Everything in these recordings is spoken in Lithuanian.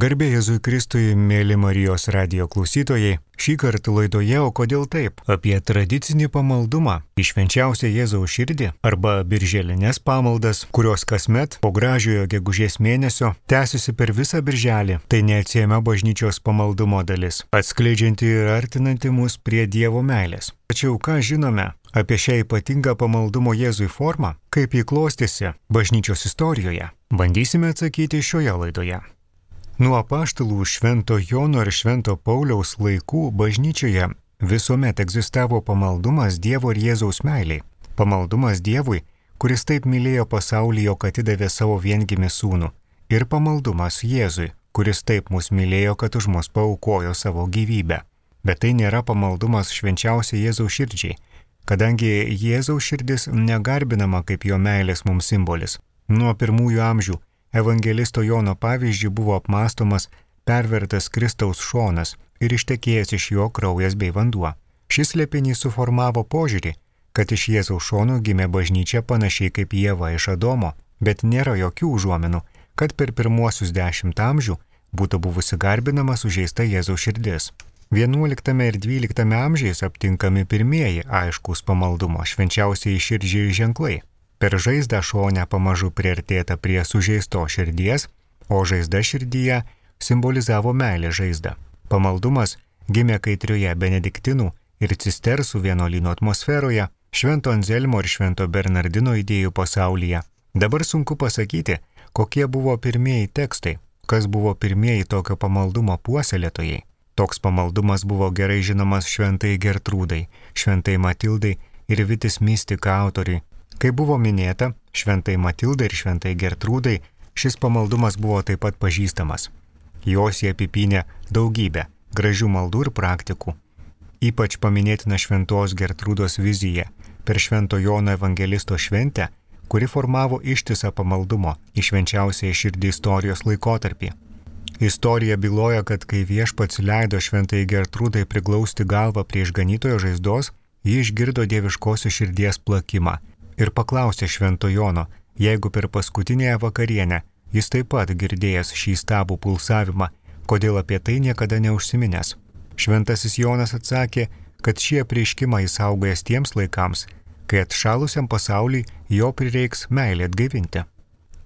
Garbė Jėzui Kristui, mėly Marijos radijo klausytojai, šį kartą laidoje O kodėl taip? Apie tradicinį pamaldumą į švenčiausią Jėzaus širdį arba birželinės pamaldas, kurios kasmet po gražiojo gegužės mėnesio tęsiasi per visą birželį. Tai neatsiejama bažnyčios pamaldumo dalis, atskleidžianti ir artinanti mus prie Dievo meilės. Tačiau ką žinome apie šią ypatingą pamaldumo Jėzui formą, kaip jį klostėsi bažnyčios istorijoje? Bandysime atsakyti šioje laidoje. Nuo apaštalų Švento Jono ir Švento Pauliaus laikų bažnyčioje visuomet egzistavo pamaldumas Dievo ir Jėzaus meiliai. Pamaldumas Dievui, kuris taip mylėjo pasaulį, jog atidavė savo viengimį sūnų. Ir pamaldumas Jėzui, kuris taip mus mylėjo, kad už mus paaukojo savo gyvybę. Bet tai nėra pamaldumas švenčiausiai Jėzaus širdžiai, kadangi Jėzaus širdis negarbinama kaip jo meilės mums simbolis. Nuo pirmųjų amžių evangelisto Jono pavyzdžių buvo apmąstomas pervertas Kristaus šonas ir ištekėjęs iš jo kraujas bei vanduo. Šis slėpinys suformavo požiūrį, kad iš Jėzaus šono gimė bažnyčia panašiai kaip Ieva iš Adomo, bet nėra jokių užuominų, kad per pirmuosius 10 amžių būtų buvusi garbinama sužeista Jėzaus širdis. 11 ir 12 amžiais aptinkami pirmieji aiškūs pamaldumo švenčiausiai širdžiai ženklai. Per žaizdą šonę pamažu priartėta prie sužeisto širdies, o žaizda širdyje simbolizavo meilę žaizdą. Pamaldumas gimė kaitrioje benediktinų ir cistersų vienuolyno atmosferoje, Švento Anzelmo ir Švento Bernardino idėjų pasaulyje. Dabar sunku pasakyti, kokie buvo pirmieji tekstai, kas buvo pirmieji tokio pamaldumo puoselėtojai. Toks pamaldumas buvo gerai žinomas Šventai Gertrūdai, Šventai Matildai ir Vitis Mistika autoriui. Kaip buvo minėta, Šventai Matildai ir Šventai Gertrūdai šis pamaldumas buvo taip pat pažįstamas. Jos jie apipynė daugybę gražių maldų ir praktikų. Ypač paminėtina Šventos Gertrūdos vizija per Švento Jono evangelisto šventę, kuri formavo ištisą pamaldumo į švenčiausiąją širdį istorijos laikotarpį. Istorija byloja, kad kai Viešpats leido Šventai Gertrūdai priglausti galvą prie išganytojo žaizdos, ji išgirdo dieviškosios širdies plakimą ir paklausė Švento Jono, jeigu per paskutinėje vakarienę jis taip pat girdėjęs šį stabų pulsavimą, kodėl apie tai niekada neužsiminęs. Šventasis Jonas atsakė, kad šį apreiškimą jis saugojęs tiems laikams, kai atšalusiam pasauliui jo prireiks meilę atgaivinti.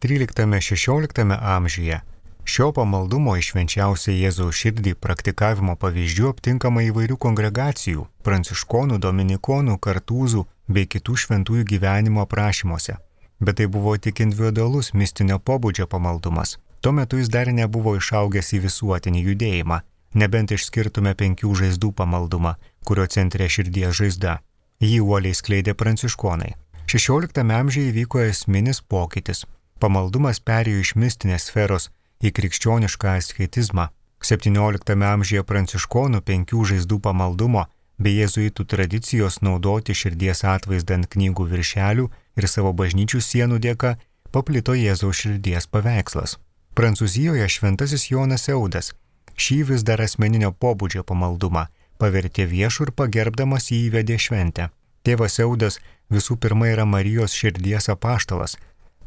13-16 amžiuje šio pamaldumo į švenčiausią Jėzaus širdį praktikavimo pavyzdžių aptinkama įvairių kongregacijų, pranciškonų, dominikonų, kartūzų bei kitų šventųjų gyvenimo aprašymuose. Bet tai buvo tik individualus mistinio pobūdžio pamaldumas. Tuo metu jis dar nebuvo išaugęs į visuotinį judėjimą, nebent išskirtume 5 žaizdų pamaldumą, kurio centre širdies žaizda. Jį uoliai skleidė pranciškonai. 16 amžiuje įvyko esminis pokytis. Pamaldumas perėjo iš mistinės sferos į krikščionišką asketizmą. 17 amžiuje pranciškonų 5 žaizdų pamaldumo bei jėzuitų tradicijos naudoti širdies atvaizdą ant knygų viršelių ir savo bažnyčių sienų dėka paplito Jėzaus širdies paveikslas. Prancūzijoje šventasis Jonas Eudas šį vis dar asmeninio pobūdžio pamaldumą pavertė viešų ir pagerbdamas jį įvedė šventę. Tėvas Eudas visų pirma yra Marijos širdies apaštalas,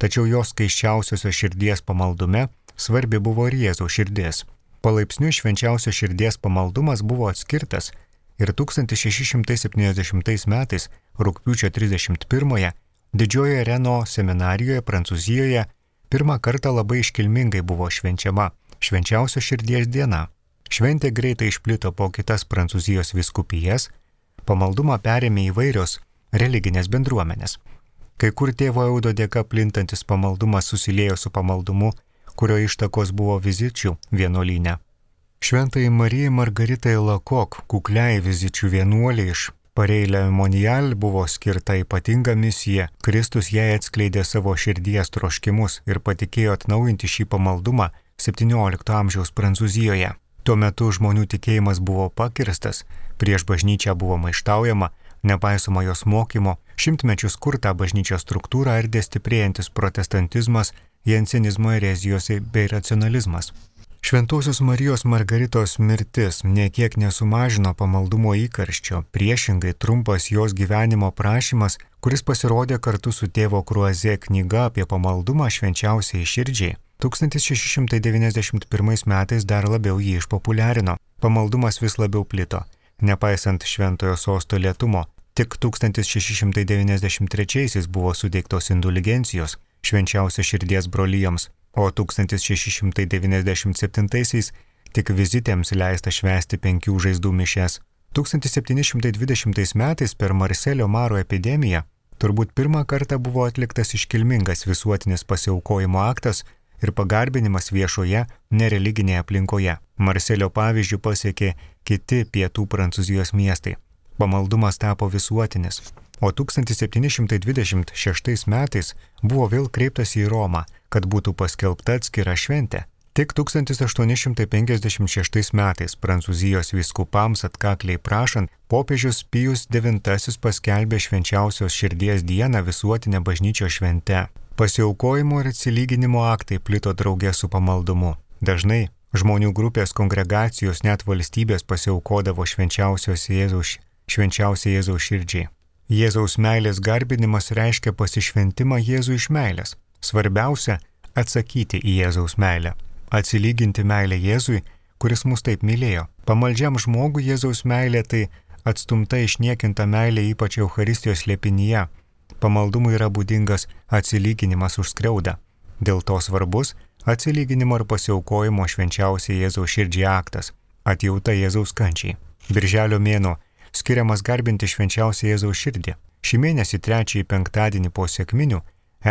tačiau jos skaisčiausiosios širdies pamaldume svarbi buvo ir Jėzaus širdis. Palaipsniui švenčiausio širdies pamaldumas buvo atskirtas ir 1670 metais, rugpjūčio 31-ąją, didžiojoje Reno seminarijoje Prancūzijoje pirmą kartą labai iškilmingai buvo švenčiama švenčiausio širdies diena. Šventė greitai išplito po kitas Prancūzijos vyskupijas, pamaldumą perėmė įvairios religinės bendruomenės. Kai kur tėvo Eudo dėka plintantis pamaldumas susiliejo su pamaldumu, kurio ištakos buvo Vizičių vienuolyne. Šventai Marijai Margaritai Lakok, kukliai Vizičių vienuoliai iš Pareilė Monial, buvo skirta ypatinga misija. Kristus jai atskleidė savo širdies troškimus ir patikėjo atnaujinti šį pamaldumą 17 amžiaus Prancūzijoje. Tuo metu žmonių tikėjimas buvo pakirstas, prieš bažnyčią buvo maištaujama, nepaisoma jos mokymo, šimtmečius kurtą bažnyčios struktūrą ardė stiprėjantis protestantizmas, jansenizmo erezijos bei racionalizmas. Šventosios Marijos Margaritos mirtis niekiek nesumažino pamaldumo įkarščio, priešingai trumpas jos gyvenimo prašymas, kuris pasirodė kartu su tėvo Kruazė knyga apie pamaldumą švenčiausiai širdžiai, 1691 metais dar labiau jį išpopuliarino. Pamaldumas vis labiau plito, nepaisant šventojo sosto lėtumo. Tik 1693 buvo suteiktos indulgencijos švenčiausio širdies brolijoms, o 1697 tik vizitėms leista švęsti 5 žaizdų mišias. 1720 metais per Marselio maro epidemiją turbūt pirmą kartą buvo atliktas iškilmingas visuotinis pasiaukojimo aktas ir pagarbinimas viešoje, nereliginėje aplinkoje. Marselio pavyzdžių pasiekė kiti pietų Prancūzijos miestai. Pamaldumas tapo visuotinis, o 1726 metais buvo vėl kreiptas į Romą, kad būtų paskelbta atskira šventė. Tik 1856 metais Prancūzijos vyskupams atkakliai prašant, popiežius Pijus IX paskelbė švenčiausios širdies dieną visuotinę bažnyčios švente. Pasiaukojimo ir atsilyginimo aktai plito drauge su pamaldumu. Dažnai žmonių grupės kongregacijos net valstybės pasiaukodavo švenčiausiai Jėzaus širdžiai. Jėzaus meilės garbinimas reiškia pasišventimą Jėzui iš meilės. Svarbiausia – atsakyti į Jėzaus meilę. Atsilyginti meilę Jėzui, kuris mus taip mylėjo. Pamaldžiam žmogui Jėzaus meilė tai atstumta išniekinta meilė ypač Eucharistijos slėpinyje. Pamaldumui yra būdingas atsilyginimas už skriaudą. Dėl to svarbus atsilyginimo ir pasiaukojimo švenčiausiai Jėzaus širdžiai aktas – atjauta Jėzaus kančiai. Birželio mėnuo skiriamas garbinti švenčiausiai Jėzaus širdį. Šį mėnesį 3 penktadienį po sekminių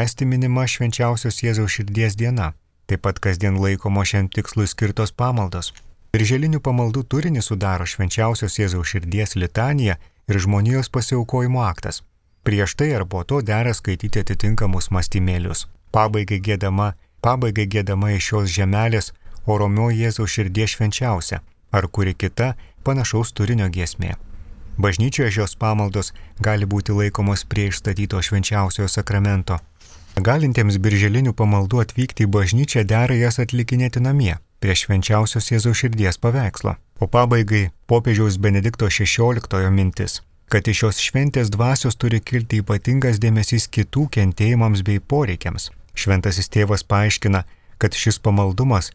esti minima švenčiausios Jėzaus širdies diena. Taip pat kasdien laikomo šiam tikslui skirtos pamaldos. Birželinių pamaldų turinį sudaro švenčiausios Jėzaus širdies litanija ir žmonijos pasiaukojimo aktas. Prieš tai ar po to dera skaityti atitinkamus mąstymėlius. Pabaigai giedama iš šios žemelės o romioji Jėzaus širdies švenčiausia, ar kuri kita panašaus turinio giesmė. Bažnyčioje šios pamaldos gali būti laikomos prie išstatyto švenčiausiojo sakramento. Galintiems birželinių pamaldų atvykti į bažnyčią dera jas atlikinėti namie, prie švenčiausios Jėzaus širdies paveikslo. O pabaigai popiežiaus Benedikto XVI mintis, kad iš šios šventės dvasios turi kilti ypatingas dėmesys kitų kentėjimams bei poreikiams. Šventasis tėvas paaiškina, kad šis pamaldumas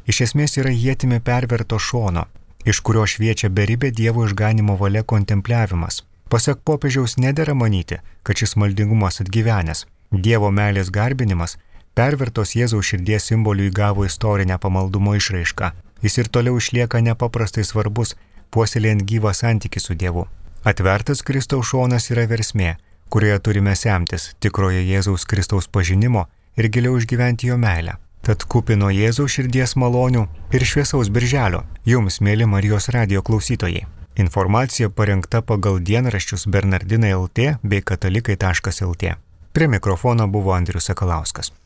iš esmės yra ietimi perverto šono, iš kurio šviečia beribė Dievo išganimo valia kontempliavimas. Pasak popiežiaus nedera manyti, kad šis maldingumas atgyvenęs. Dievo meilės garbinimas pervertos Jėzaus širdies simbolių įgavo istorinę pamaldumo išraišką. Jis ir toliau išlieka nepaprastai svarbus, puoselėjant gyvą santykį su Dievu. Atvertas Kristaus šonas yra versmė, kurioje turime semtis tikrojo Jėzaus Kristaus pažinimo ir giliau išgyventi jo meilę. Tad kupino Jėzaus širdies malonių ir šviesaus birželio jums, mėly Marijos radijo klausytojai. Informacija parengta pagal dienraščius Bernardinai LT bei katalikai.lt. Prie mikrofono buvo Andrius Sakalauskas.